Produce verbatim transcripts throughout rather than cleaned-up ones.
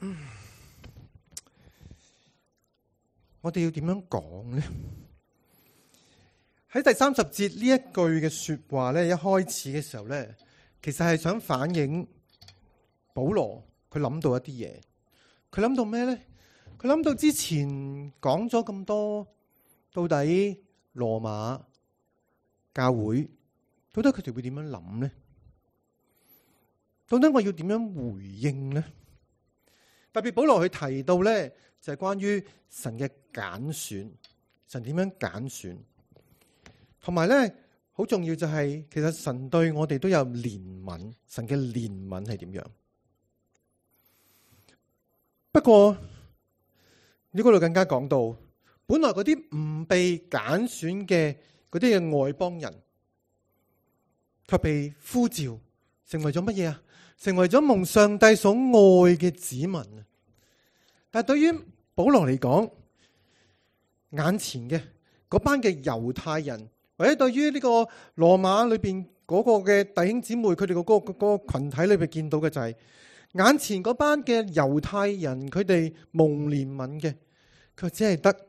嗯、我哋要點樣講呢？喺第三十節呢一句嘅說話咧，一開始嘅時候咧，其實係想反映保羅佢諗到一啲嘢。佢諗到咩咧？佢諗到之前講咗咁多，到底羅馬教會到底佢哋會點樣諗呢？到底我要點樣回應呢？特別保羅佢提到咧，就係關於神嘅揀選，神點樣揀選，同埋咧好重要就係，其實神對我哋都有憐憫，神嘅憐憫係點樣？不過呢嗰度更加講到，本來嗰啲唔被揀選嘅嗰啲嘅外邦人，卻被呼召成為咗乜嘢啊？成為咗蒙上帝所愛嘅子民啊！但係對於保羅嚟講，眼前嘅嗰班嘅猶太人，或者對於呢個羅馬裏邊嗰個嘅弟兄姊妹，佢哋個嗰個嗰個群體裏邊見到嘅就係眼前嗰班嘅猶太人，佢哋蒙憐憫嘅，佢只係得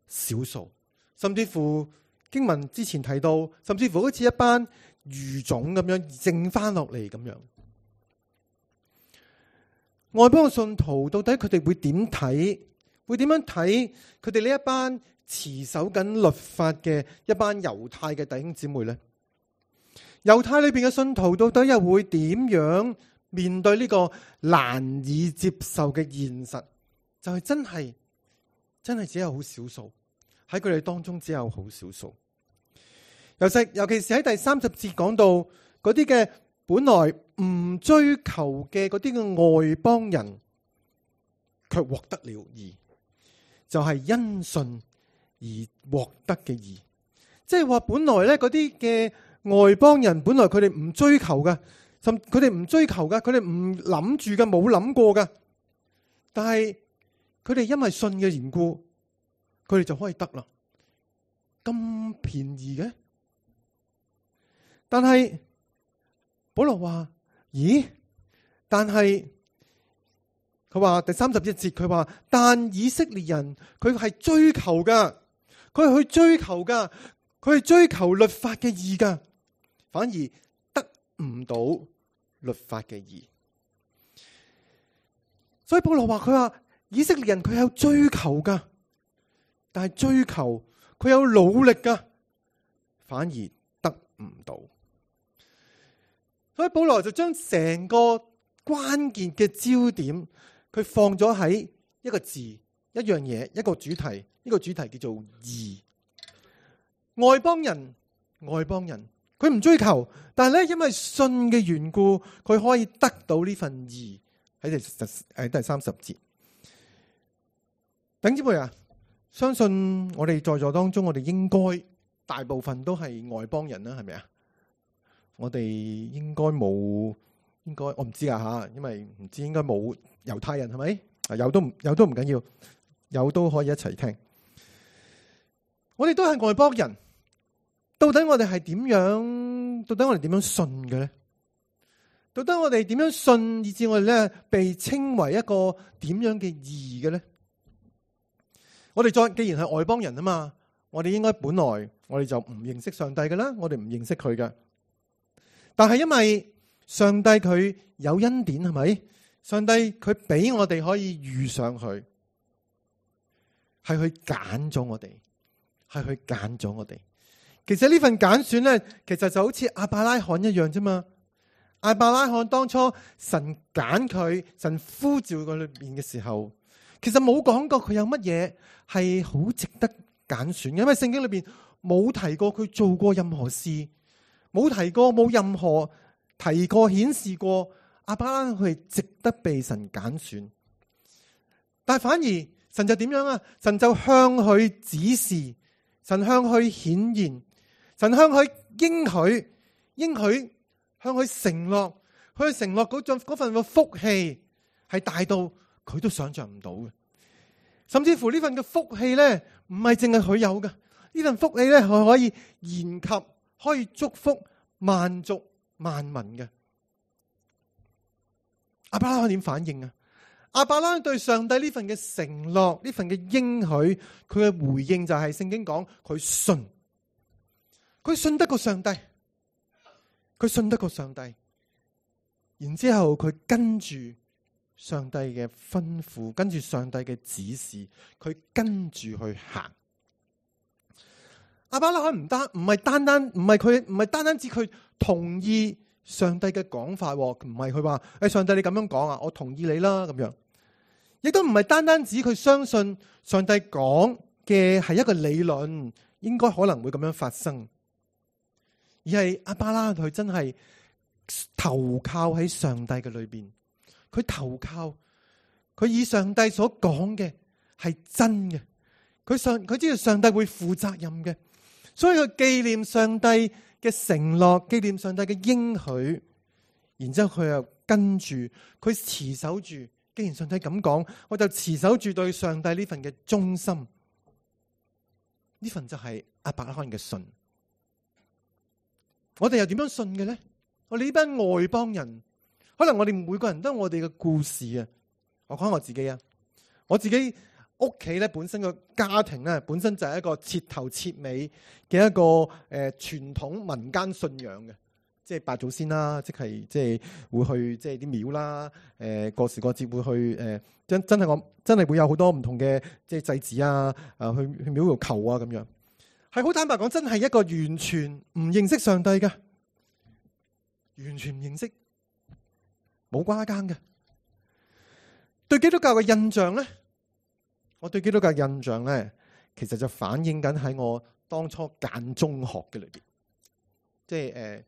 少數，甚至乎經文之前提到，甚至乎好似一班餘種咁樣剩翻落嚟咁樣。外邦嘅信徒到底佢哋會點睇？會點樣睇佢哋呢一班持守緊律法嘅一班猶太嘅弟兄姊妹呢？猶太裏邊嘅信徒到底又會點樣面對呢個難以接受嘅現實？就係真係真係只有好少數，喺佢哋當中只有好少數。尤其尤其是喺第三十節講到嗰啲嘅本來唔追求嘅嗰啲嘅外邦人，卻獲得了義，就係因信而獲得嘅義。即係話本來咧嗰啲嘅外邦人，本來佢哋唔追求嘅，甚佢哋唔追求嘅，佢哋唔諗住嘅，冇諗過嘅。但係佢哋因為信嘅緣故，佢哋就可以得啦。咁便宜嘅，但係保羅話：咦？但係佢話第三十一節，佢話但以色列人佢係追求噶，佢係去追求噶，佢係追求律法嘅義噶，反而得唔到律法嘅義。所以保羅話：佢話以色列人佢有追求噶，但係追求佢有努力噶，反而得唔到。所以保羅就將成個關鍵嘅焦點，佢放咗喺一個字、一樣嘢、一個主題。呢個主題叫做義。外邦人，外邦人，佢唔追求，但係咧因為信嘅緣故，佢可以得到呢份義。喺第誒第三十節，弟兄姊妹啊，相信我哋在座當中，我哋應該大部分都係外邦人啦，係咪啊？我哋應該冇，應該我唔知啊吓，因為唔知應該冇猶太人係咪？有都唔有都唔緊要，有都可以一齊聽。我哋都係外邦人，到底我哋係點樣？到底我哋點樣信嘅咧？到底我哋點樣信，以致我哋咧被稱為一個點樣嘅義嘅咧？我哋再既然係外邦人啊嘛，我哋應該本來我哋就唔認識上帝嘅啦，我哋唔認識佢嘅。但係因為上帝佢有恩典，係咪？上帝佢俾我哋可以遇上佢，係去揀咗我哋，係去揀咗我哋。其實呢份揀選咧，其實就好似亞伯拉罕一樣啫嘛。亞伯拉罕當初神揀佢，神呼召佢裏邊嘅時候，其實冇講過佢有乜嘢係好值得揀選嘅，因為聖經裏邊冇提過佢做過任何事。冇提過，冇任何提過顯示過亞伯拉罕佢係值得被神揀選，但係反而神就點樣啊？神就向佢指示，神向佢顯現，神向佢應許，應許向佢承諾，佢承諾嗰種嗰份嘅福氣係大到佢都想象唔到嘅，甚至乎呢份嘅福氣咧，唔係淨係佢有嘅，呢份福氣咧，佢可以延及。可以祝福萬族萬民嘅。亞伯拉罕點反應啊？亞伯拉罕對上帝呢份嘅承諾，呢份嘅應許，佢嘅回應就係聖經講佢信，佢信得過上帝，佢信得過上帝，然之後佢跟住上帝嘅吩咐，跟住上帝嘅指示，佢跟住去行。亞伯拉罕唔單唔係單單唔係佢唔係單單指佢同意上帝嘅講法，唔係佢話誒上帝你咁樣講啊，我同意你啦咁樣，亦都唔係單單指佢相信上帝講嘅係一個理論，應該可能會咁樣發生，而係亞伯拉罕佢真係投靠喺上帝嘅裏邊，佢投靠佢以上帝所講嘅係真嘅，佢上佢知道上帝會負責任嘅。所以佢紀念上帝嘅承諾，紀念上帝嘅應許，然之後佢又跟住佢持守住。既然上帝咁講，我就持守住對上帝呢份嘅忠心。呢份就係亞伯拉罕嘅信。我哋又點樣信嘅咧？我哋呢班外邦人，可能我哋每個人都有我哋嘅故事啊。我講我自己啊，我自己。屋企咧本身個家庭咧本身就係一個徹頭徹尾嘅一個誒傳統民間信仰嘅，即係拜祖先啦，即係即係會去即係啲廟啦，誒過時過節會去誒真真係我真係會有好多唔同嘅即係祭祀啊，啊去去廟度求啊咁樣，係好坦白講，真係一個完全唔認識上帝嘅，完全唔認識，冇瓜耕嘅，對基督教嘅印象咧。我對基督教印象咧，其實就反映緊喺我當初揀中學嘅裏邊，即係誒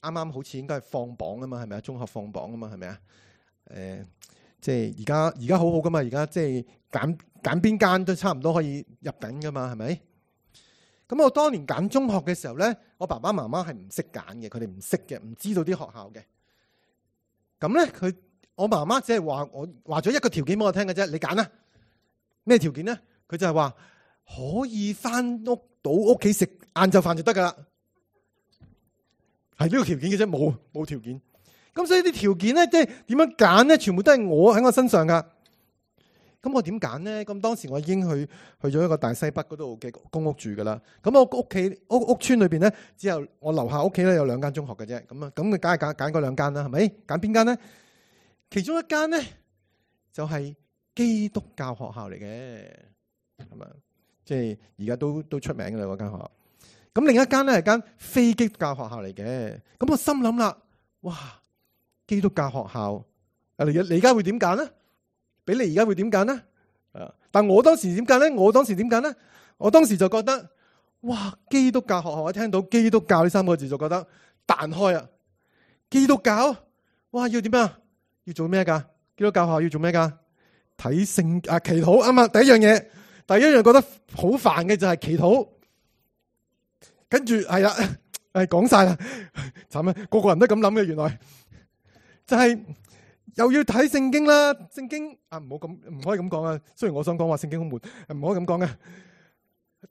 啱啱好似應該係放榜啊嘛，係咪啊？中學放榜啊嘛，係咪啊？誒、呃，即係而家而家好好噶嘛，而家即係揀揀邊間都差唔多可以入緊噶嘛，係咪？咁我當年揀中學嘅時候咧，我爸爸媽媽係唔識揀嘅，佢哋唔識嘅，唔知道啲學校嘅。咁咧，佢我媽媽只係話我話咗一個條件俾我聽嘅啫，你揀啦。咩條件咧？佢就係話可以翻屋到屋企食晏晝飯就得噶啦，係呢個條件嘅啫，冇冇條件。咁所以啲條件咧，即係點樣揀咧？全部都係我喺我身上噶。咁我點揀咧？咁當時我已經去去咗一個大西北嗰度嘅公屋住噶啦。咁我屋企屋屋村裏邊咧，只有我樓下屋企咧有兩間中學嘅啫。咁啊，咁佢梗係揀揀嗰兩間啦，係咪？揀邊間咧？其中一間咧就係、是。基督教學校嚟嘅，係咪？即係而家都都出名嘅啦嗰間學校。咁另一間咧係間非基督教學校嚟嘅。咁我心諗啦，哇！基督教學校，啊你你而家會點揀咧？俾你而家會點揀咧？啊！但我當時點揀咧？我當時點揀咧？我當時就覺得，哇！基督教學校，一聽到基督教呢三個字就覺得彈開啊！基督教，哇！要點啊？要做咩噶？基督教學校要做咩噶？睇聖啊，祈禱啱啊！第一樣嘢，第一樣覺得好煩嘅就係祈禱，跟住係啦，誒講晒啦，慘啊！個個人都咁諗嘅，原來就係、是、又要睇聖經啦，聖經啊唔好咁唔可以咁講啊！雖然我想講話聖經好悶，唔可以咁講嘅，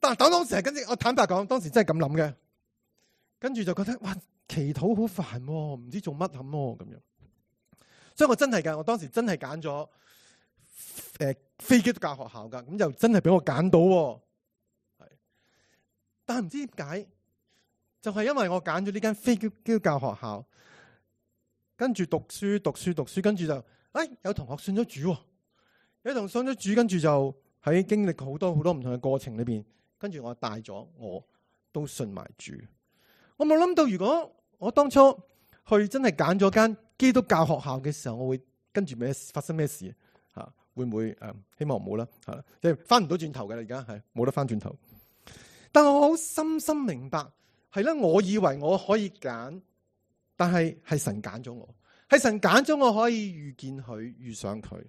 但但當時係跟住我坦白講，當時真係咁諗嘅，跟住就覺得哇，祈禱好煩，唔知做乜咁咯咁樣，所以我真係噶，我當時真係揀咗。誒，非基督教學校噶，咁又真係俾我揀到，係，但係唔知點解，就係因為我揀咗呢間非基督教學校，跟住讀書讀書讀書，跟住就，誒，有同學信咗主，有同學信咗主，跟住就喺經歷好多好多唔同嘅過程裏邊，跟住我帶咗我都信埋主。我冇諗到，如果我當初去真係揀咗間基督教學校嘅時候，我會跟住咩發生咩事？吓，會唔會誒？希望唔好啦，吓，即係翻唔到轉頭嘅啦，而家係冇得翻轉頭。但我好深深明白，係咧，我以為我可以揀，但係係神揀咗我，係神揀咗我可以遇見佢，遇上佢。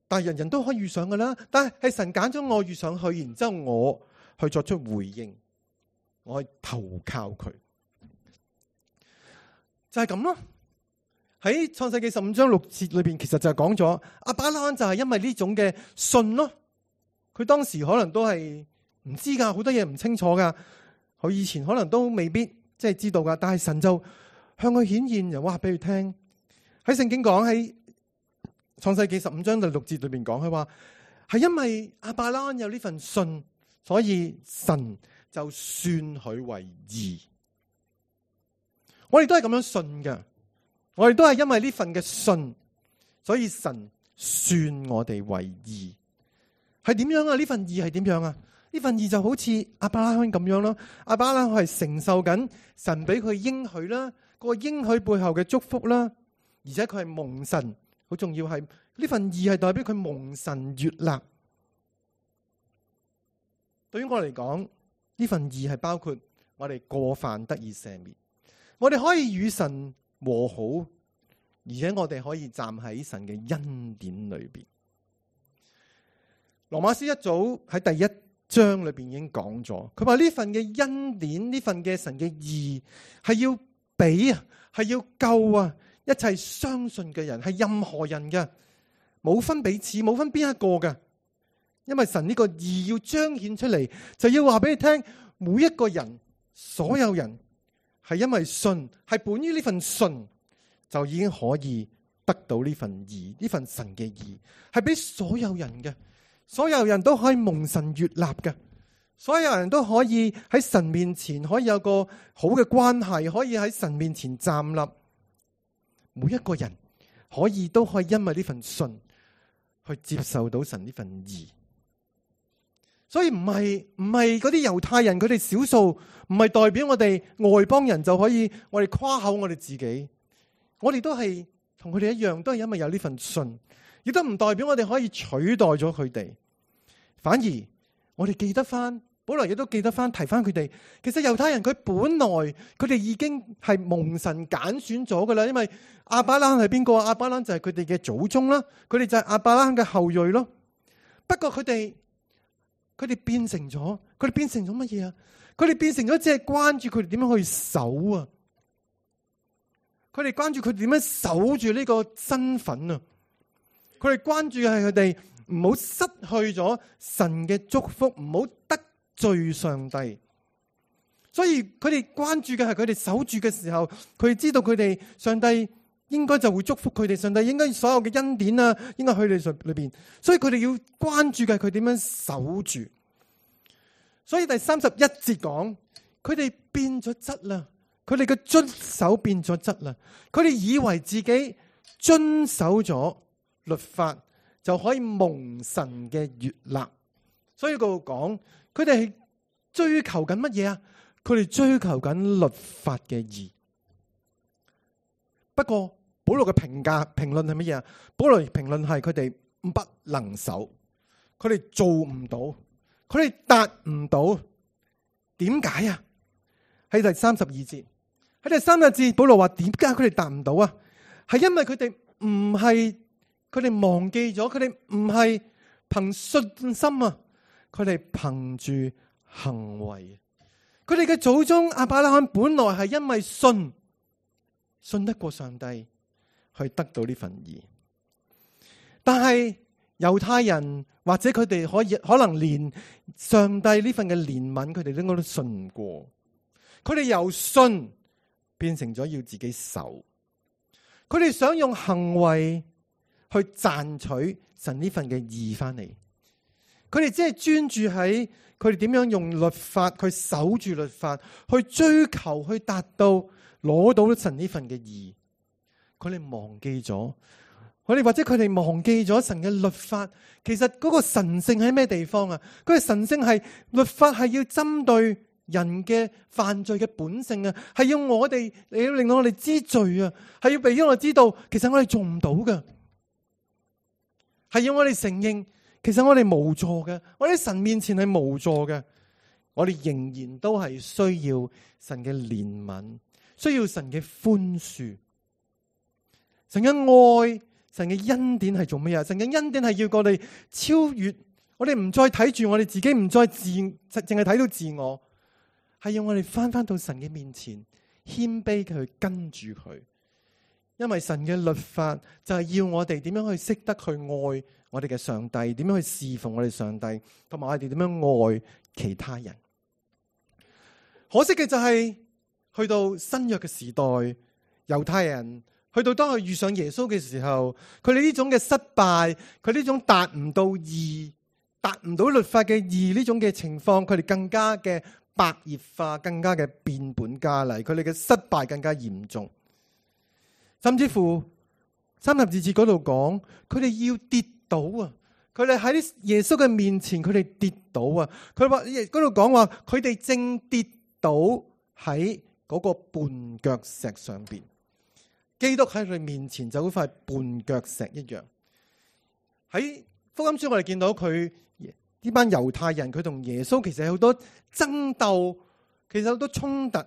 但係人人都可以遇上噶啦，但係係神揀咗我遇上去，然之後我去作出回應，我去投靠佢，就係咁咯。喺創世記十五章六節裏邊，其實就係講咗亞伯拉罕就係因為呢種嘅信咯。佢當時可能都係唔知噶，好多嘢唔清楚噶。佢以前可能都未必即係知道噶，但係神就向佢顯現，又話俾佢聽。喺聖經講喺創世記十五章第六節裏邊講，佢話係因為亞伯拉罕有呢份信，所以神就算佢為義。我哋都係咁樣信嘅，我哋都係因為呢份嘅信，所以神算我哋為義。係點樣啊？呢份義係點樣啊？呢份義就好似亞伯拉罕咁樣咯。亞伯拉罕係承受緊神俾佢應許啦，個應許背後嘅祝福啦，而且佢係蒙神，好重要係呢份義係代表佢蒙神悅納。對於我嚟講，呢份義係包括我哋過犯得以赦免，我哋可以與神和好，而且我哋可以站喺神嘅恩典裏邊。羅馬書一早喺第一章裏邊已經講咗，佢話呢份嘅恩典，呢份嘅神嘅義係要俾啊，係要救啊一切相信嘅人，係任何人嘅，冇分彼此，冇分邊一個嘅。因為神呢個義要彰顯出嚟，就要話俾你聽，每一個人，所有人係因為信，係本於呢份信，就已經可以得到呢份義，呢份神嘅義係俾所有人嘅。所有人都可以蒙神悅納嘅，所有人都可以喺神面前可以有個好嘅關係，可以喺神面前站立。每一個人可以都可以因為呢份信去接受到神呢份義。所以唔係唔係嗰啲猶太人佢哋少數，唔係代表我哋外邦人就可以我哋誇口我哋自己。我哋都係同佢哋一樣，都係因為有呢份信。亦都唔代表我哋可以取代咗佢哋，反而我哋記得翻，保羅亦都記得翻，提翻佢哋。其實猶太人佢本來佢哋已經係蒙神揀選咗噶啦，因為亞伯拉罕係邊個？亞伯拉罕就係佢哋嘅祖宗啦，佢哋就係亞伯拉罕嘅後裔咯。不過佢哋佢哋變成咗，佢哋變成咗乜嘢啊？佢哋變成咗只係關注佢哋點樣去守啊！佢哋關注佢哋點樣守住呢個身份啊！佢哋關注嘅係佢哋唔好失去咗神嘅祝福，唔好得罪上帝。所以佢哋關注嘅係佢哋守住嘅時候，佢哋知道佢哋上帝應該就會祝福佢哋，上帝應該所有嘅恩典啊，應該去你上裏邊。所以佢哋要關注嘅係佢點樣守住。所以第三十一節講，佢哋變咗質啦，佢哋嘅遵守變咗質啦，佢哋以為自己遵守咗律法就可以蒙神嘅悅納，所以佢講佢哋係追求緊乜嘢啊？佢哋追求緊律法嘅義。不過保羅嘅評價評論係乜嘢啊？保羅評論係佢哋不能守，佢哋做唔到，佢哋達唔到。點解啊？喺第三十二節，喺第三十節，保羅話點解佢哋達唔到啊？係因為佢哋唔係。佢哋忘記咗，佢哋唔係憑信心啊，佢哋憑住行為。佢哋嘅祖宗亞伯拉罕本來係因為信，信得過上帝，去得到呢份義。但係猶太人或者佢哋可以可能連上帝呢份嘅憐憫，佢哋應該都信唔過。佢哋由信變成咗要自己守，佢哋想用行為去賺取神呢份嘅義翻嚟，佢哋只係專注喺佢哋點樣用律法去守住律法，去追求去達到攞到神呢份嘅義。佢哋忘記咗，佢哋或者佢哋忘記咗神嘅律法。其實嗰個神聖喺咩地方啊？佢嘅神聖係律法係要針對人嘅犯罪嘅本性啊，係要我哋嚟要令到我哋知罪啊，係要俾我哋知道，其實我哋做唔到嘅。係要我哋承認，其實我哋無助嘅，我哋喺神面前係無助嘅，我哋仍然都係需要神嘅憐憫，需要神嘅寬恕。神嘅愛，神嘅恩典係做咩啊？神嘅恩典係要我哋超越，我哋唔再睇住我哋自己，唔再自淨係睇到自我，係要我哋翻翻到神嘅面前，謙卑嘅去跟住佢。因為神嘅律法就係要我哋點樣去識得去愛我哋嘅上帝，點樣去侍奉我哋上帝，同埋我哋點樣愛其他人。可惜嘅就係去到新約嘅時代，猶太人去到當佢遇上耶穌嘅時候，佢哋呢種嘅失敗，佢呢種達唔到義、達唔到律法嘅義呢種嘅情況，佢哋更加嘅白熱化，更加嘅變本加厲，佢哋嘅失敗更加嚴重。甚至乎三十二節嗰度講，佢哋要跌倒啊！佢哋喺耶穌嘅面前，佢哋跌倒啊！佢話嗰度講話，佢哋正跌倒喺嗰個絆腳石上邊。基督喺佢哋面前就好似塊絆腳石一樣。喺福音書我哋見到佢呢班猶太人，佢同耶穌其實有好多爭鬥，其實好多衝突，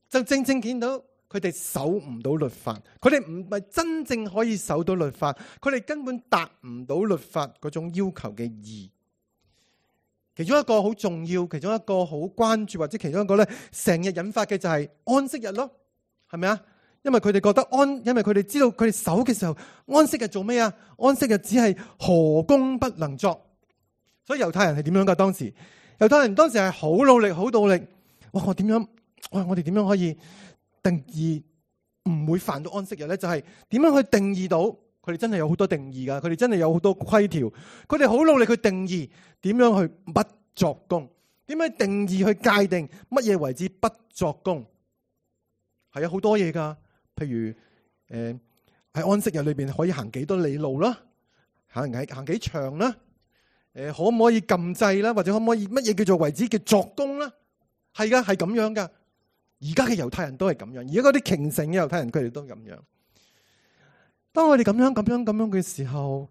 就正正見到佢哋守唔到律法，佢哋唔係真正可以守到律法，佢哋根本達唔到律法嗰種要求嘅義。其中一個好重要，其中一個好關注，或者其中一個咧成日引發嘅就係安息日咯，係咪啊？因為佢哋覺得安，因為佢哋知道佢哋守嘅時候，安息日做咩啊？安息日只係何工不能作，所以猶太人係點樣噶？當時猶太人當時係好努力，好努力。哇！我點樣？哇！我哋點樣可以定義唔會犯到安息日咧？就係點樣去定義到？佢哋真係有好多定義噶，佢哋真係有好多規條。佢哋好努力去定義點樣去不作工，點樣定義去界定乜嘢為之不作工？係有好多嘢噶。譬如誒喺安息日裏邊可以行幾多里路啦，行幾行幾長啦，誒可唔可以禁制啦，或者可唔可以乜嘢叫做為之嘅作工啦？係噶，係咁樣噶。而家嘅猶太人都係咁樣，而家嗰啲虔誠嘅猶太人佢哋都咁樣。當我哋咁樣咁樣咁樣嘅時候，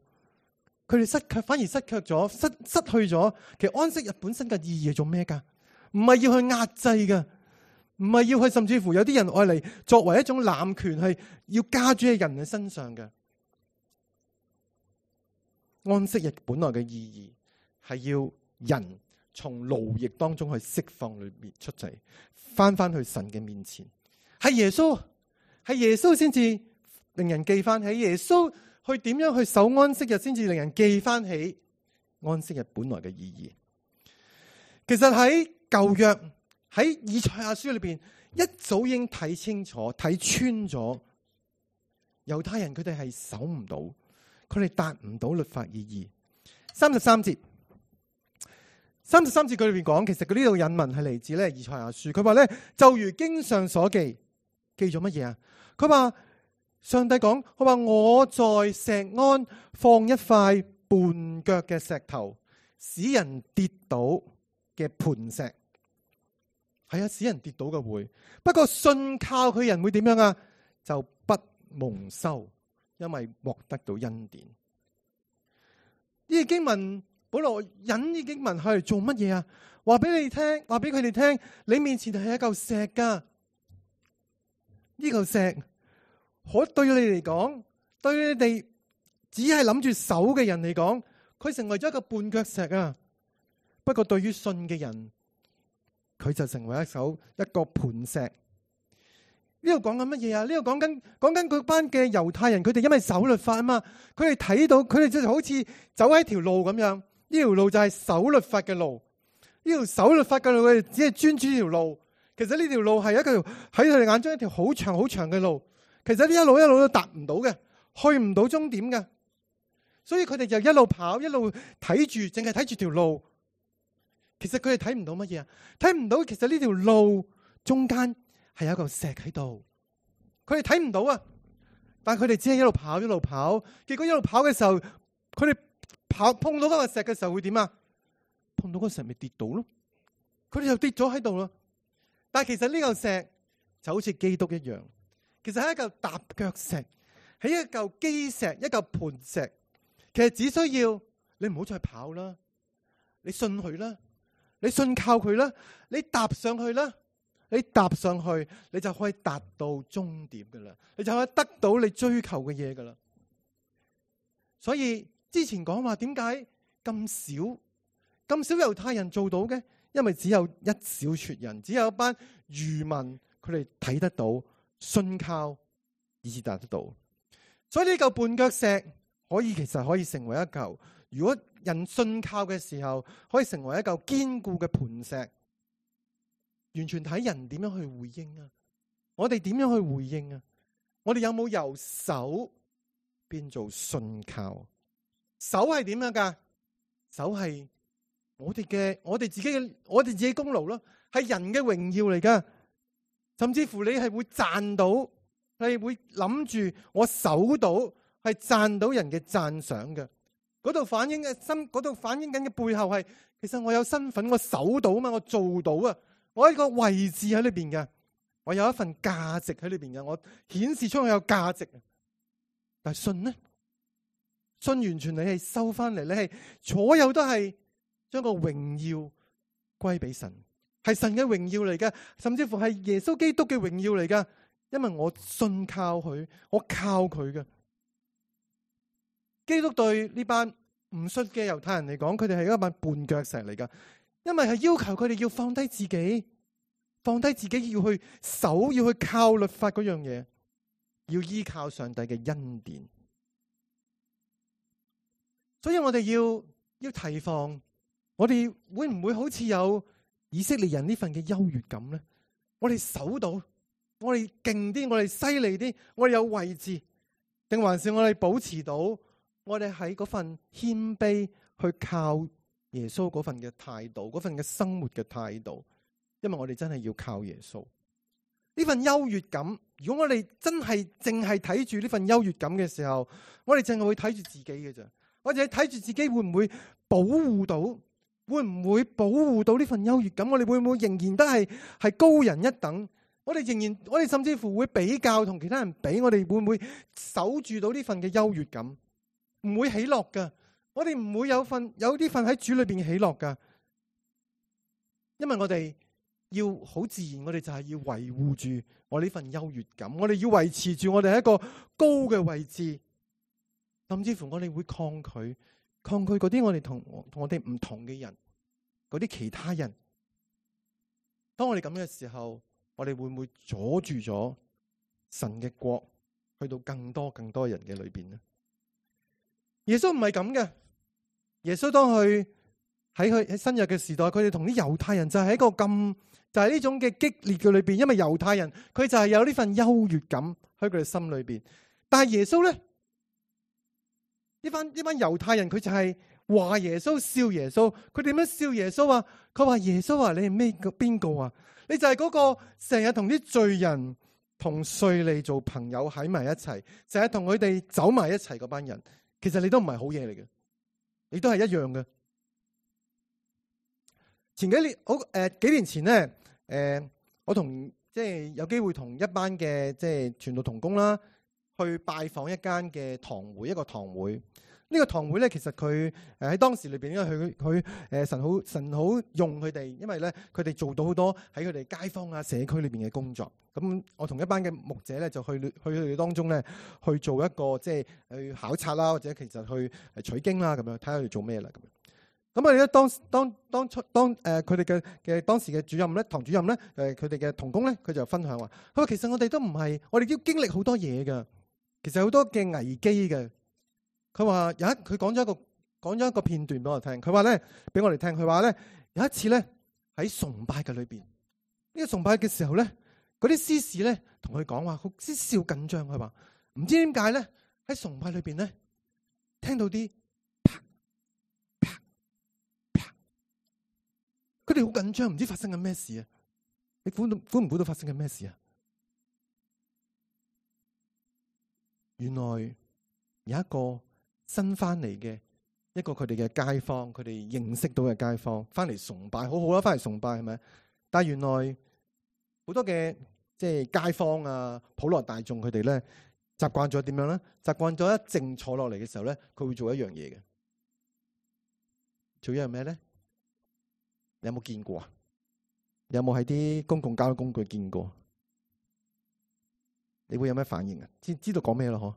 佢哋失卻，反而失卻咗，失失去咗。其實安息日本身嘅意義係做咩噶？唔係要去壓制噶。唔係要去，甚至乎有啲人愛嚟作為一種濫權，係要加諸喺人嘅身上嘅。安息日本來嘅意義係要人從勞役當中去釋放裏面出嚟，翻翻去神嘅面前。係耶穌，係耶穌先至令人記翻起。耶穌去點樣去守安息日，先至令人記翻起安息日本來嘅意義。其實喺舊約，喺以賽亞書裏邊，一早已經睇清楚、睇穿咗猶太人佢哋係守唔到，佢哋達唔到律法意義。三十三節，三十三節佢裏邊講，其實佢呢度引文係嚟自咧以賽亞書。佢話咧，就如經上所記，記咗乜嘢啊？佢話上帝講，佢話我在錫安放一塊絆腳嘅石頭，使人跌倒嘅磐石。係啊，使人跌倒嘅會，不過信靠佢人會點樣啊？就不蒙羞，因為獲得到恩典。呢個經文保羅引呢經文係嚟做乜嘢啊？話俾你聽，話俾佢哋聽，你面前係一嚿石噶。呢嚿石可對你嚟講，對你哋只係諗住守嘅人嚟講，佢成為咗一個絆腳石啊。不過對於信嘅人，佢就成為一手一個磐石。呢度講緊乜嘢啊？呢度講緊講緊嗰班嘅猶太人，佢哋因為守律法啊嘛，佢哋睇到佢哋就好似走喺條路咁樣，呢條路就係守律法嘅路。呢條守律法嘅路，佢哋只係專注呢條路。其實呢條路係一個喺佢哋眼中一條好長好長嘅路。其實呢一路一路都達唔到嘅，去唔到終點嘅。所以佢哋就一路跑，一路睇住，淨係睇住條路。其實佢哋睇唔到乜嘢啊？睇唔到其實呢條路中間係有一嚿石喺度，佢哋睇唔到啊！但係佢哋只係一路跑一路跑，結果一路跑嘅時候，佢哋跑碰到嗰嚿石嘅時候會點啊？碰到嗰個石咪跌倒咯，佢哋就跌咗喺度咯。但係其實呢嚿石就好似基督一樣，其實係一嚿踏腳石，係一嚿基石，一嚿磐石。其實只需要你唔好再跑啦，你信佢啦。你信靠佢啦，你踏上去啦，你踏上去，你就可以達到終點噶啦，你就可以得到你追求嘅嘢噶啦。所以之前講話點解咁少咁少猶太人做到嘅？因為只有一小撮人，只有一班愚民，佢哋睇得到、信靠，以至達得到。所以呢嚿絆腳石可以其實可以成為一嚿，如果人信靠嘅時候，可以成為一嚿堅固嘅磐石。完全睇人點樣去回應啊！我哋點樣去回應啊？我哋有冇由守變做信靠？守係點樣噶？守係我哋嘅，我哋自己嘅，我哋自己功勞咯，係人嘅榮耀嚟噶。甚至乎你係會賺到，係會諗住我守到，係賺到人嘅讚賞嘅。嗰度反映嘅身，嗰度反映緊嘅背後係，其實我有身份，我守到啊嘛，我做到啊，我喺個位置喺裏邊嘅，我有一份價值喺裏邊嘅，我顯示出我有價值。但係信呢？信完全你係收翻嚟，你係所有都係將個榮耀歸俾神，係神嘅榮耀嚟嘅，甚至乎係耶穌基督嘅榮耀嚟嘅，因為我信靠佢，我靠佢嘅。基督對呢班唔信嘅猶太人嚟講，佢哋係一班絆腳石嚟噶，因為係要求佢哋要放低自己，放低自己要去守，要去靠律法嗰樣嘢，要依靠上帝嘅恩典。所以我哋要要提防，我哋會唔會好似有以色列人呢份嘅優越感呢？我哋守到，我哋勁啲，我哋犀利啲，我哋有位置，定還是我哋保持到？我哋喺嗰份謙卑去靠耶穌嗰份嘅態度，嗰份嘅生活嘅態度，因為我哋真係要靠耶穌。呢份優越感，如果我哋真係淨係睇住呢份優越感嘅時候，我哋淨係會睇住自己嘅咋，我哋睇住自己會唔會保護到，會唔會保護到呢份優越感？我哋會唔會仍然都係係高人一等？我哋仍然，我哋甚至乎會比較同其他人比，我哋會唔會守住到呢份嘅優越感？唔會喜樂噶，我哋唔會有份有啲份喺主裏邊喜樂噶，因為我哋要好自然，我哋就係要維護住我呢份優越感，我哋要維持住我哋喺一個高嘅位置，甚至乎我哋會抗拒抗拒嗰啲我哋同同我哋唔同嘅人，嗰啲其他人。當我哋咁嘅時候，我哋會唔會阻住咗神嘅國去到更多更多人嘅裏邊呢？耶穌唔係咁嘅，耶穌當佢喺佢喺新約嘅時代，佢哋同啲猶太人就係一個咁就係呢種嘅激烈嘅裏邊，因為猶太人佢就係有呢份優越感喺佢哋心裏邊。但係耶穌咧，呢班呢班猶太人佢就係話耶穌笑耶穌，佢點樣笑耶穌啊？佢話耶穌啊，你係咩個邊個啊？你就係嗰個成日同啲罪人同稅吏做朋友喺埋一齊，成日同佢哋走埋一齊嗰班人。其實你都唔係好嘢嚟嘅，你都係一樣嘅。前幾年，好誒、呃，幾年前咧，誒、呃，我同即係有機會同一班嘅即係傳道同工啦，去拜訪一間嘅堂會，一個堂會。呢、這個堂會咧，其實佢誒喺當時裏邊，因為佢佢誒神好神好用佢哋，因為咧佢哋做到好多喺佢哋街坊啊社區裏邊嘅工作。咁我同一班嘅牧者咧，就去去佢哋當中咧去做一個即係去考察啦，或者其實去取經啦，咁樣睇下佢哋做咩啦咁樣。咁我哋咧當當當初當誒佢哋嘅嘅當時嘅主任咧，堂主任咧，誒佢哋嘅同工咧，佢就分享話：佢話其實我哋都唔係，我哋都經歷好多嘢噶，其實好多嘅危機嘅。佢話有一佢講咗一個講咗一個片段俾我聽。佢話咧俾我哋聽。佢話咧有一次咧喺崇拜嘅裏邊，呢、這個崇拜嘅時候咧，嗰啲司事咧同佢講話，好似笑緊張。佢話唔知點解咧喺崇拜裏邊咧聽到啲啪啪啪，佢哋好緊張，唔知發生緊咩事啊？你估到估唔估到發生緊咩事啊？原來有一個新翻嚟嘅一個佢哋嘅街坊，佢哋認識到嘅街坊翻嚟崇拜，好好啦，翻嚟崇拜係咪？但係原來好多嘅即係街坊啊，普羅大眾佢哋咧習慣咗點樣咧？習慣咗一靜坐落嚟嘅時候咧，佢會做一樣嘢嘅。做一樣咩咧？你有冇見過啊？你有冇喺啲公共交通工具見過？你會有咩反應啊？知知道講咩咯？嗬？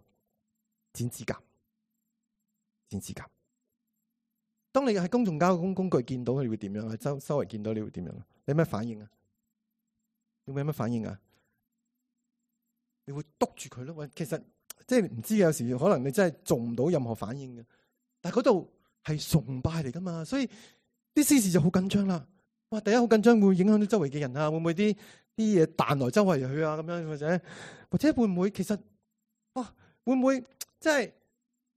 剪指甲。剪指甲。當你喺公共交通工具見到佢，你會點樣？喺周周圍見到你會點樣？你有咩反應啊？你會有咩反應啊？你會督住佢咯？喂，其實即係唔知，有時可能你真係做唔到任何反應嘅。但係嗰度係崇拜嚟噶嘛，所以啲司事就好緊張啦。哇！第一好緊張，會影響到周圍嘅人啊，會唔會啲啲嘢彈來周圍去啊？咁樣或者或者會唔會其實會唔會即係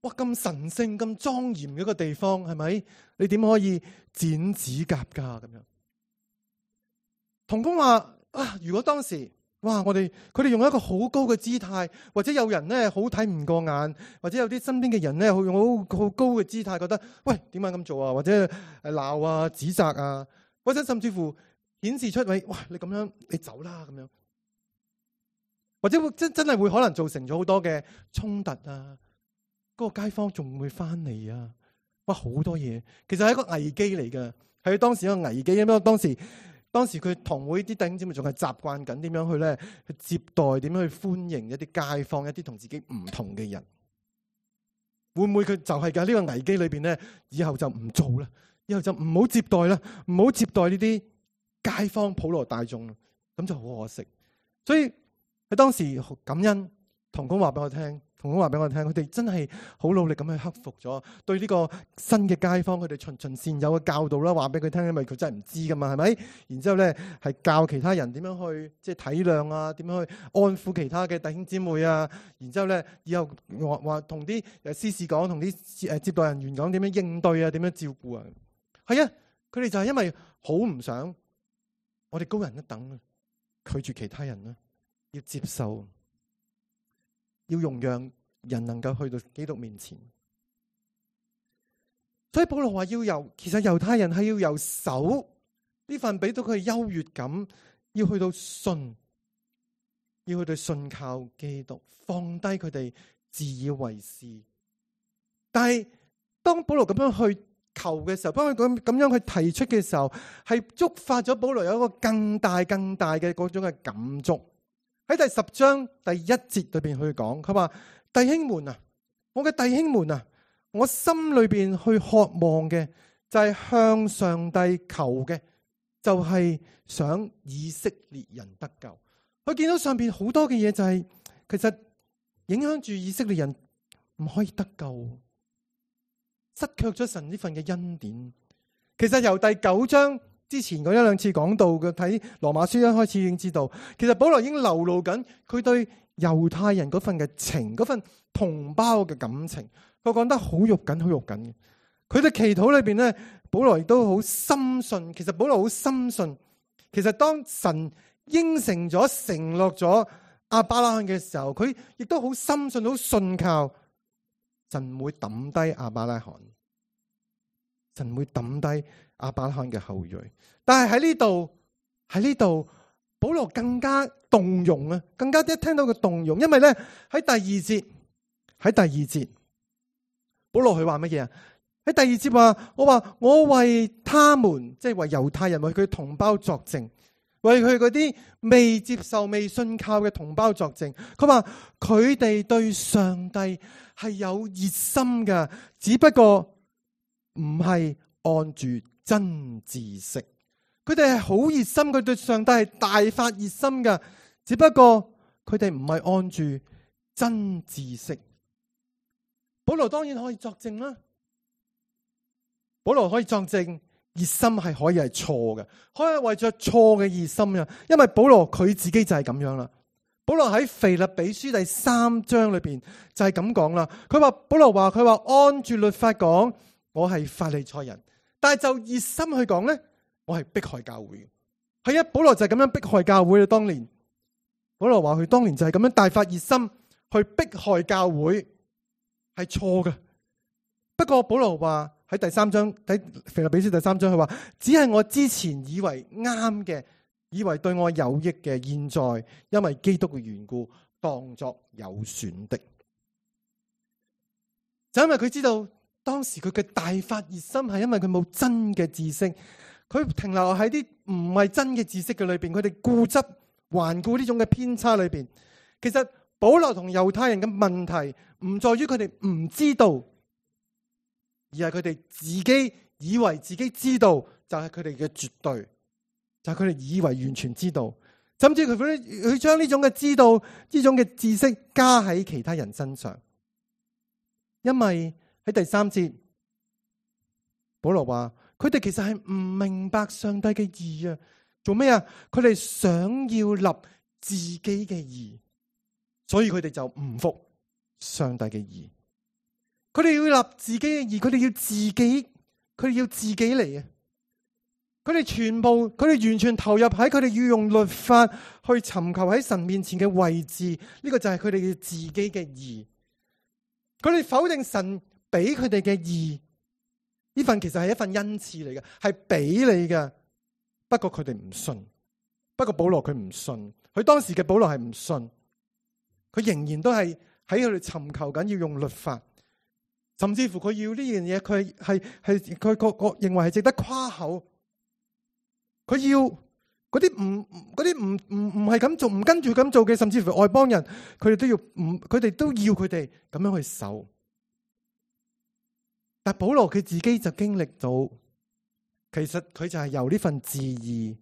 哇咁神聖、咁莊嚴嘅一個地方，係咪？你點可以剪指甲噶咁樣？同工話啊，如果當時哇，我哋佢哋用一個好高嘅姿態，或者有人咧好睇唔過眼，或者有啲身邊嘅人咧用好好高嘅姿態，覺得喂點解咁做啊？或者誒鬧啊、指責啊，或者甚至乎顯示出喂，哇你咁樣你走啦咁樣，或者會真真係會可能造成咗好多嘅衝突啊！嗰個街坊仲會翻嚟啊！哇好多嘢，其實係一個危機嚟嘅，係當時一個危機，因為當時。當時佢堂會啲弟兄姊妹仲係習慣緊點樣去咧去接待，點樣去歡迎一啲街坊，一啲同自己唔同嘅人。會唔會佢就係嘅呢個危機裏邊咧？以後就唔做啦，以後就唔好接待啦，唔好接待呢啲街坊普羅大眾，咁就好可惜。所以喺當時感恩，同工話俾我聽。同工話俾我聽，佢哋真係好努力咁去克服咗對呢個新嘅街坊，佢哋循循善誘嘅教導啦，話俾佢聽，因為佢真係唔知噶嘛，係咪？然之後咧係教其他人點樣去即係體諒啊，點樣去安撫其他嘅弟兄姊妹啊。然之後咧以後話話同啲誒司事講，同啲誒接待人員講點樣應對啊，點樣照顧啊。係啊，佢哋就係因為好唔想我哋高人一等，拒絕其他人啦，要接受。要容讓人能夠去到基督面前，所以保羅話要由，其實猶太人係要由守呢份俾到佢嘅優越感，要去到信，要去到信靠基督，放低佢哋自以為是。但係當保羅咁樣去求嘅時候，當佢咁咁樣去提出嘅時候，係觸發咗保羅有一個更大更大嘅嗰種嘅感觸。喺第十章第一節裏邊去講，佢話弟兄們啊，我嘅弟兄們啊，我心裏邊去渴望嘅就係向上帝求嘅，就係想以色列人得救。佢見到上邊好多嘅嘢，就係其實影響住以色列人唔可以得救，失卻咗神呢份嘅恩典。其實由第九章之前嗰一兩次講到嘅，睇羅馬書一開始已經知道，其實保羅已經流露緊佢對猶太人嗰份嘅情，嗰份同胞嘅感情，佢講得好肉緊，好肉緊嘅。佢哋祈禱裏邊咧，保羅亦都好深信，其實保羅好深信，其實當神應承咗、承諾咗亞伯拉罕嘅時候，佢亦都好深信、好信靠神唔會抌低亞伯拉罕，神會抌低亞伯拉罕嘅後裔。但係喺呢度，喺呢度，保羅更加動容啊，更加一聽到佢動容，因為咧喺第二節，喺第二節，保羅佢話乜嘢啊？喺第二節話，我話我為他們，即係為猶太人，為佢同胞作證，為佢嗰啲未接受、未信靠嘅同胞作證。佢話佢哋對上帝係有熱心嘅，只不過唔係按住真知識。佢哋係好熱心，佢對上帝係大發熱心嘅，只不過佢哋唔係按住真知識。保羅當然可以作證啦，保羅可以作證，熱心係可以係錯嘅，可以為着錯嘅熱心啊。因為保羅佢自己就係咁樣啦。保羅喺腓立比書第三章裏邊就係咁講啦。佢話保羅話佢話按住律法講，我係法利賽人，但係就熱心去講咧，我係迫害教會。係啊，保羅就係咁樣迫害教會啦。當年保羅話佢當年就係咁樣大發熱心去迫害教會，係錯嘅。不過保羅話喺第三章喺腓立比書第三章，佢話只係我之前以為啱嘅，以為對我有益嘅，現在因為基督嘅緣故，當作有損的。就因為佢知道當時佢嘅大發熱心係因為佢冇真嘅知識，佢停留喺啲唔係真嘅知識嘅裏邊，佢哋固執頑固呢種嘅偏差裏邊。其實保羅同猶太人嘅問題唔在於佢哋唔知道，而係佢哋自己以為自己知道就係佢哋嘅絕對，就係佢哋以為完全知道，甚至佢佢將呢種嘅知道呢種嘅知識加喺其他人身上。因為喺第三節，保羅話佢哋其實係唔明白上帝嘅義啊，做咩啊？佢哋想要立自己嘅義，所以佢哋就唔服上帝嘅義。佢哋要立自己嘅義，佢哋要自己，佢哋要自己嚟啊！佢哋全部，佢哋完全投入喺佢哋要用律法去尋求喺神面前嘅位置，呢個就係佢哋嘅自己嘅義。佢哋否定神俾佢哋嘅義，呢份其實係一份恩賜嚟嘅，係俾你嘅。不過佢哋唔信，不過保羅佢唔信，佢當時嘅保羅係唔信，佢仍然都係喺佢哋尋求緊要用律法。甚至乎佢要呢樣嘢，佢係係佢個個認為係值得誇口。佢要嗰啲唔嗰啲唔唔唔係咁做，唔跟住咁做嘅，甚至乎外邦人，佢哋都要唔，佢哋都要佢哋咁樣去守。但保羅佢自己就經歷到，其實佢就係由呢份自義，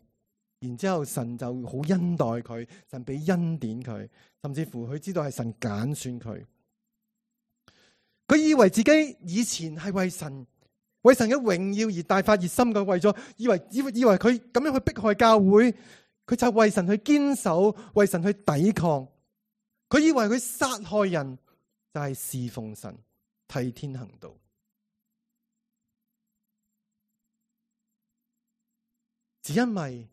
然之後神就好恩待佢，神俾恩典佢，甚至乎佢知道係神揀選佢。佢以為自己以前係為神為神嘅榮耀而大發熱心嘅，為咗以為以為以為佢咁樣去迫害教會，佢就為神去堅守，為神去抵抗。佢以為佢殺害人就係侍奉神，替天行道。只因為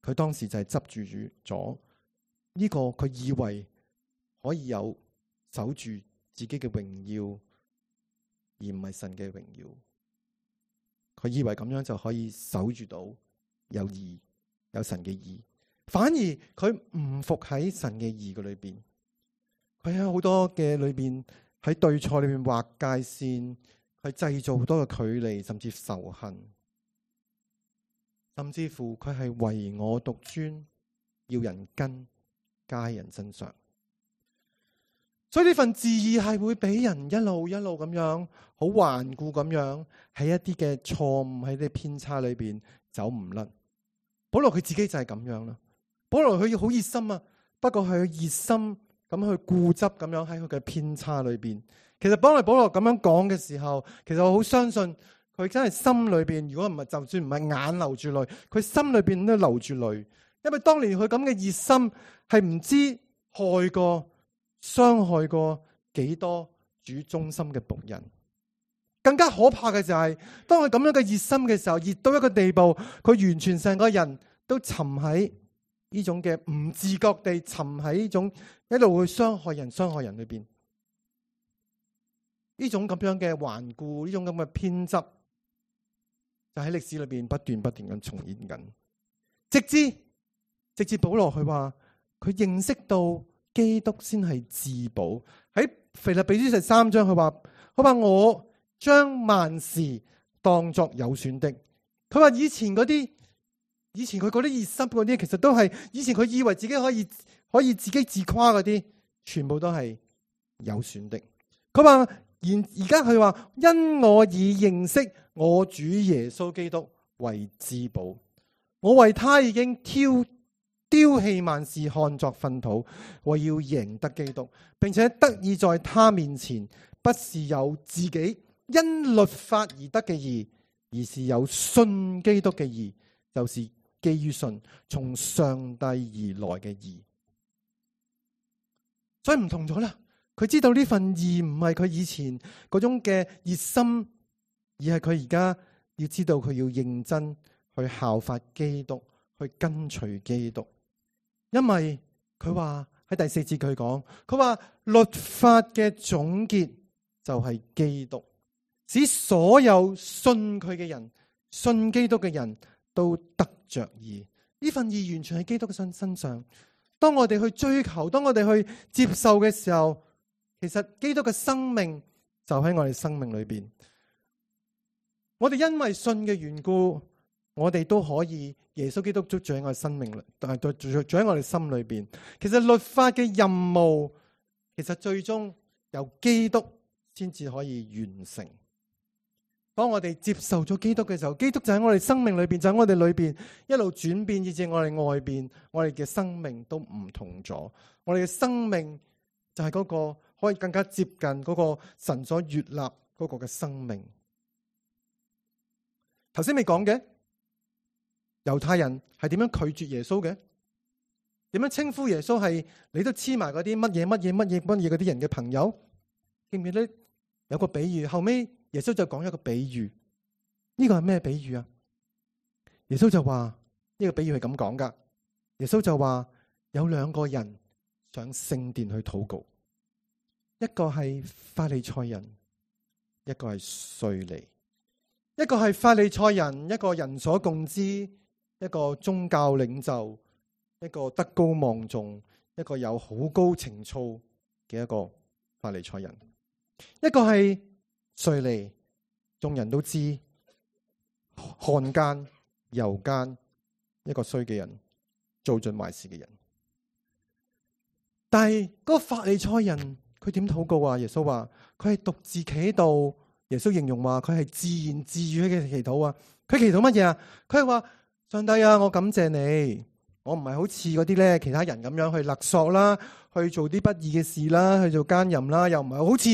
佢當時就係執住住咗呢個，佢以為可以有守住自己嘅榮耀，而唔係神嘅榮耀。佢以為咁樣就可以守住到有義，有神嘅義，反而佢唔服喺神嘅義嘅裏邊。佢喺好多嘅裏邊，喺對錯裏邊劃界線，佢製造好多嘅距離，甚至仇恨，甚至乎佢係唯我獨尊，要人跟加喺人身上。所以呢份自義係會俾人一路一路咁樣好頑固咁樣喺一啲嘅錯誤，喺啲偏差裏邊走唔甩。保羅佢自己就係咁樣啦。保羅佢要好熱心啊，不過佢熱心咁去固執咁樣喺佢嘅偏差裏邊。其實當我保羅咁樣講嘅時候，其實我好相信佢真係心裏邊，如果唔係就算唔係眼流住淚，佢心裏邊都流住淚。因為當年佢咁嘅熱心係唔知害過傷害過幾多主忠心嘅僕人。更加可怕嘅就係當佢咁樣嘅熱心嘅時候，熱到一個地步，佢完全成個人都沉喺呢種嘅唔自覺地沉喺呢種一路去傷害人傷害人裏邊。呢種咁樣嘅頑固，呢種咁嘅偏執，就喺歷史裏邊不斷不斷咁重演緊，直至直至保羅佢話佢認識到基督先係至寶。喺腓立比書十三章佢話，佢話我將萬事當作有損的。佢話以前嗰啲，以前佢嗰啲熱心嗰啲，其實都係以前佢以為自己可以可以自己自誇嗰啲，全部都係有損的。佢話而而家佢話，因我已認識我主耶穌基督為至寶，我為他已經挑丟棄萬事，看作糞土，我要贏得基督，並且得以在他面前，不是有自己因律法而得嘅義，而是有信基督嘅義，就是基於信從上帝而來嘅義。所以唔同咗啦，佢知道呢份義唔係佢以前嗰種嘅熱心，而係佢而家要知道佢要認真去效法基督，去跟隨基督。因為佢話喺第四節佢講，佢話律法嘅總結就係基督，使所有信佢嘅人，信基督嘅人都得着義。呢份義完全喺基督嘅身身上。當我哋去追求，當我哋去接受嘅時候，其實基督嘅生命就喺我哋生命裏邊。我哋因為信嘅緣故，我哋都可以耶穌基督住喺我哋生命裏，但係住住喺我哋心裏邊。其實律法嘅任務，其實最終由基督先至可以完成。當我哋接受咗基督嘅時候，基督就喺我哋生命裏邊，就喺我哋裏邊一路轉變，以至我哋外邊，我哋嘅生命都唔同咗。我哋嘅生命就係嗰個可以更加接近嗰個神所悅納嗰個嘅生命。頭先未講嘅。猶太人係點樣拒絕耶穌嘅？點樣稱呼耶穌係你都黐埋嗰啲乜嘢乜嘢乜嘢乜嘢嗰啲人嘅朋友？記唔記得有個比喻？後尾耶穌就講一個比喻，呢個係咩比喻啊？耶穌就話呢個比喻係咁講噶。耶穌就話有兩個人上聖殿去禱告，一個係法利賽人，一個係稅吏。一個係法利賽人，一個人所共知，一個宗教領袖，一個德高望重，一個有好高情操嘅一個法利賽人。一個係稅吏，眾人都知漢奸、猶奸，一個衰嘅人，做盡壞事嘅人。但係嗰個法利賽人佢點禱告啊？耶穌話佢係獨自企喺度。耶穌形容話佢係自言自語嘅祈禱啊！佢祈禱乜嘢啊？佢係話上帝啊，我感謝你，我唔係好似嗰啲咧其他人咁樣去勒索啦，去做啲不義嘅事啦，去做奸淫啦，又唔係好似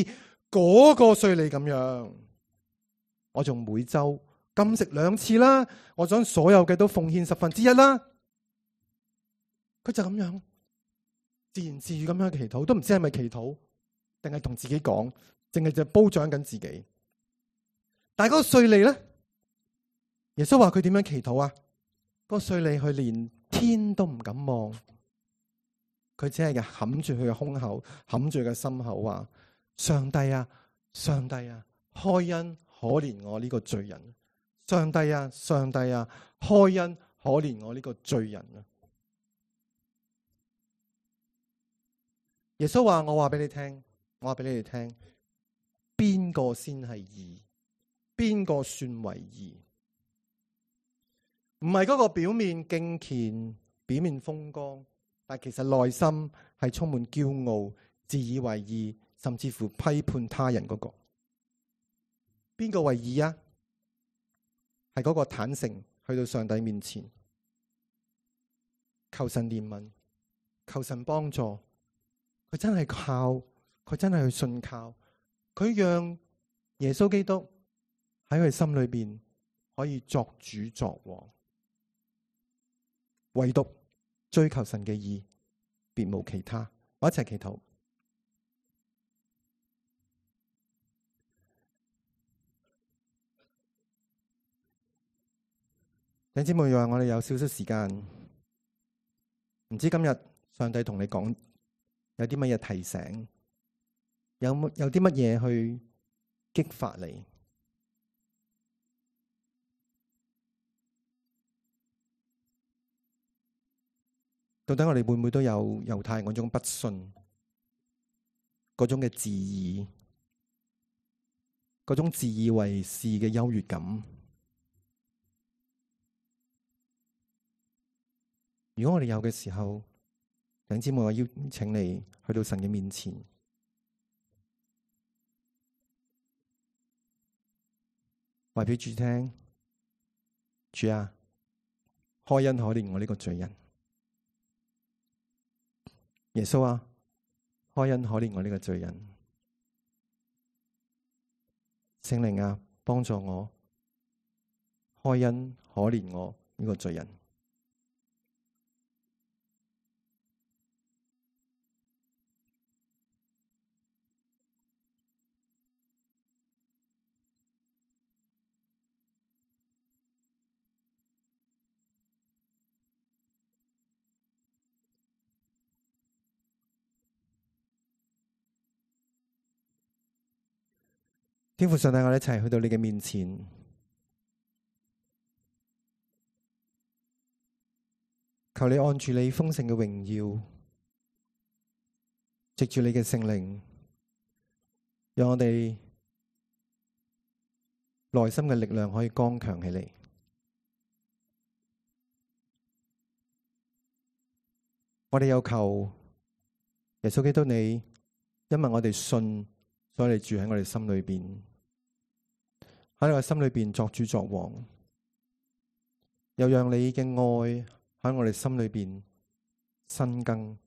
嗰個稅吏咁樣。我仲每周禁食兩次啦，我將所有嘅都奉獻十分之一啦。佢就咁樣自言自語咁樣祈禱，都唔知係咪祈禱，定係同自己講，淨係就褒獎緊自己。但係嗰個稅吏咧，耶穌話佢點樣祈禱啊？嗰個稅吏佢連天都唔敢望，佢只係嘅冚住佢嘅胸口，冚住佢嘅心口話：上帝啊，上帝啊，開恩可憐我呢個罪人！上帝啊，上帝啊，開恩可憐我呢個罪人啊！耶穌話：我話俾你聽，我話俾你哋聽，邊個先係義？邊個算為義？唔係嗰個表面敬虔、表面風光，但其實內心係充滿驕傲、自以為義，甚至乎批判他人嗰個。邊個為義啊？係嗰個坦誠去到上帝面前，求神憐憫，求神幫助。佢真係靠，佢真係去信靠，佢讓耶穌基督喺佢心裏邊可以作主作王，唯獨追求神嘅義，別無其他。我一齊祈禱。弟兄姊妹，讓我哋有少少時間，唔知今日上帝同你講有啲乜嘢提醒，有冇有啲乜嘢去激發你？到底我哋會唔會都有猶太人嗰種不信，嗰種嘅自義，嗰種自以為是嘅優越感？如果我哋有嘅時候，弟兄姊妹，我邀請你去到神嘅面前，話俾主聽：主啊，開恩可憐我呢個罪人。耶穌啊，開恩可憐我呢個罪人。聖靈啊，幫助我，開恩可憐我呢個罪人。天父上帝，我哋一齊去到你嘅面前，求你按住你豐盛嘅榮耀，藉住你嘅聖靈，讓我哋內心嘅力量可以剛強起嚟。我哋有求耶穌基督你，因為我哋信，所以你住喺我哋心裏邊，喺我哋心裏邊作主作王，又讓你嘅愛喺我哋心裏邊生根，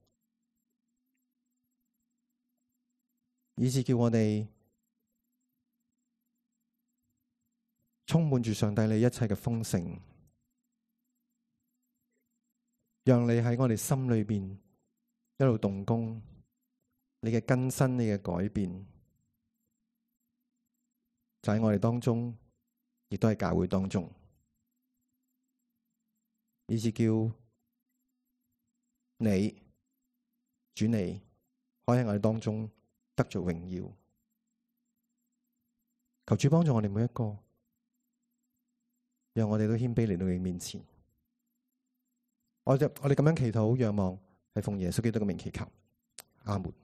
以致叫我哋充滿住上帝你一切嘅豐盛。讓你喺我哋心裏邊一路動工，你嘅更新，你嘅改變，就喺我哋當中，亦都喺教會當中，以致叫你主你可以喺我哋當中得着榮耀。求主幫助我哋每一個，讓我哋都謙卑嚟到你面前。我就我哋咁樣祈禱仰望，係奉耶穌基督嘅名祈求，阿門。